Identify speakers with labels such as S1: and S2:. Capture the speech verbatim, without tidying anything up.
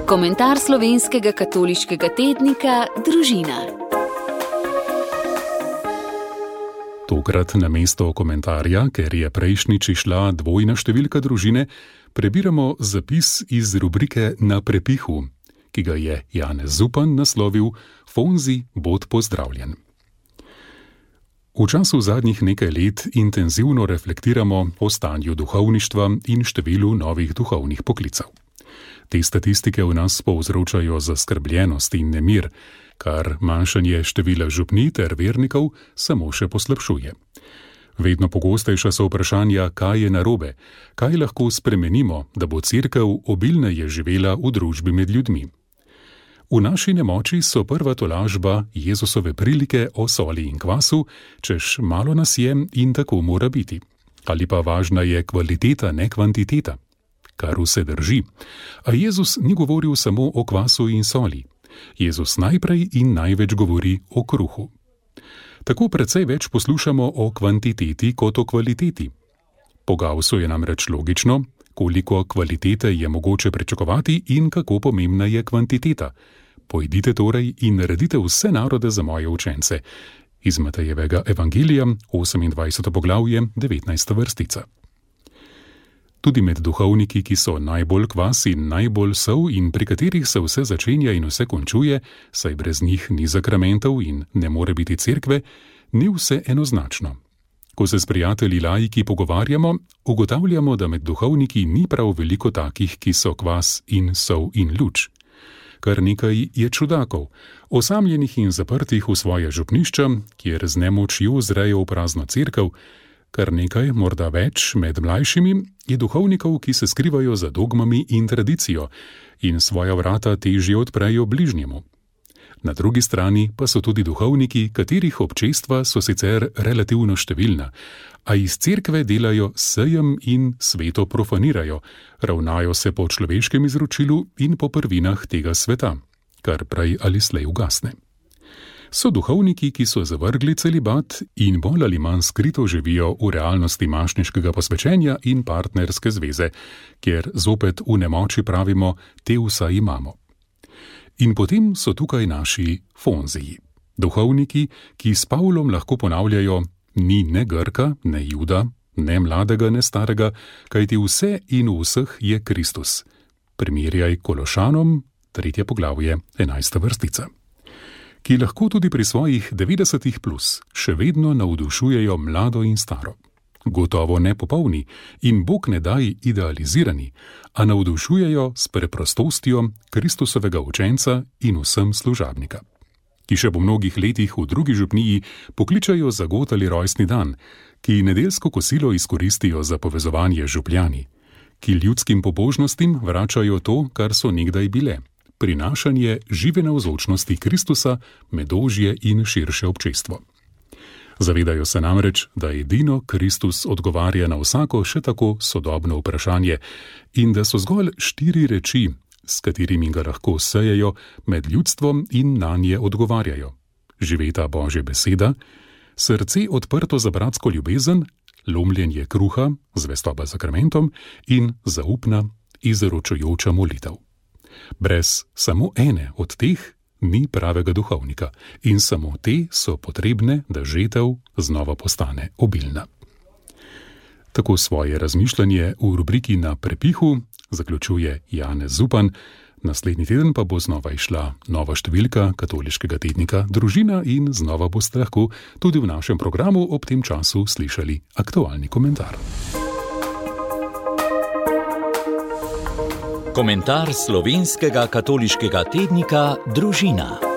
S1: Komentar slovenskega katoliškega tednika Družina.
S2: Tokrat namesto komentarja, ker je prejšnjič išla dvojna številka Družine, prebiramo zapis iz rubrike Na prepihu, ki ga je Janez Zupan naslovil Fonzi, bod pozdravljen. V času zadnjih nekaj let intenzivno reflektiramo o stanju duhovništva in številu novih duhovnih poklicev. Te statistike v nas povzročajo zaskrbljenost in nemir, kar manjšanje števila župni ter vernikov samo še poslabšuje. Vedno pogostejša so vprašanja, kaj je narobe, kaj lahko spremenimo, da bo cerkev obilneje živela v družbi med ljudmi. V naši nemoči so prva tolažba Jezusove prilike o soli in kvasu, češ malo nas je in tako mora biti. Ali pa važna je kvaliteta, ne kvantiteta. Kar vse drži. A Jezus ni govoril samo o kvasu in soli. Jezus najprej in največ govori o kruhu. Tako precej več poslušamo o kvantiteti kot o kvaliteti. Po Gaussu je namreč logično, koliko kvalitete je mogoče pričakovati in kako pomembna je kvantiteta. Pojdite torej in naredite vse narode za moje učence. Iz Matejevega evangelija, osemindvajseto poglavje, devetnajsta vrstica. Tudi med duhovniki, ki so najbolj kvas in najbolj sol in pri katerih se vse začenja in vse končuje, saj brez njih ni zakramentov in ne more biti cerkve, ni vse enoznačno. Ko se s prijatelji laiki pogovarjamo, ugotavljamo, da med duhovniki ni prav veliko takih, ki so kvas in sol in luč. Kar nekaj je čudakov, osamljenih in zaprtih v svoje župnišča, kjer z nemočjo zrejo v prazno cerkev, kar nekaj, morda več, med mlajšimi je duhovnikov, ki se skrivajo za dogmami in tradicijo in svoja vrata težje odprejo bližnjemu. Na drugi strani pa so tudi duhovniki, katerih občestva so sicer relativno številna, a iz cerkve delajo sejem in sveto profanirajo, ravnajo se po človeškem izročilu in po prvinah tega sveta, kar prej ali slej ugasne. So duhovniki, ki so zavrgli celibat in bolj ali manj skrito živijo v realnosti mašniškega posvečenja in partnerske zveze, kjer zopet v nemoči pravimo, te vsaj imamo. In potem so tukaj naši fonziji. Duhovniki, ki s Pavlom lahko ponavljajo, ni ne Grka, ne Juda, ne mladega, ne starega, kajti vse in v vseh je Kristus. Primerjaj Kološanom, tretje poglavje, enajsta vrstica. Ki lahko tudi pri svojih devetdesetih plus še vedno navdušujejo mlado in staro. Gotovo ne popolni in Bog ne daj idealizirani, a navdušujejo s preprostostjo Kristusovega učenca in vsem služabnika. Ki še po mnogih letih v drugi župniji pokličajo za god ali rojstni dan, ki nedeljsko kosilo izkoristijo za povezovanje župljani, ki ljudskim pobožnostim vračajo to, kar so nekdaj bile, prinašanje žive navzočnosti Kristusa med ožje in širše občestvo. Zavedajo se namreč, da edino Kristus odgovarja na vsako še tako sodobno vprašanje in da so zgolj štiri reči, s katerimi ga lahko sejejo med ljudstvom in nanje odgovarjajo. Živeta Božja beseda, srce odprto za bratsko ljubezen, lomljenje kruha, zvestoba zakramentom in zaupna, izročujoča molitev. Brez samo ene od teh ni pravega duhovnika in samo te so potrebne, da žetev znova postane obilna. Tako svoje razmišljanje v rubriki Na prepihu zaključuje Janez Zupan, naslednji teden pa bo znova išla nova številka katoliškega tednika Družina in znova boste lahko tudi v našem programu ob tem času slišali aktualni komentar.
S3: Komentar slovenskega katoliškega tednika Družina.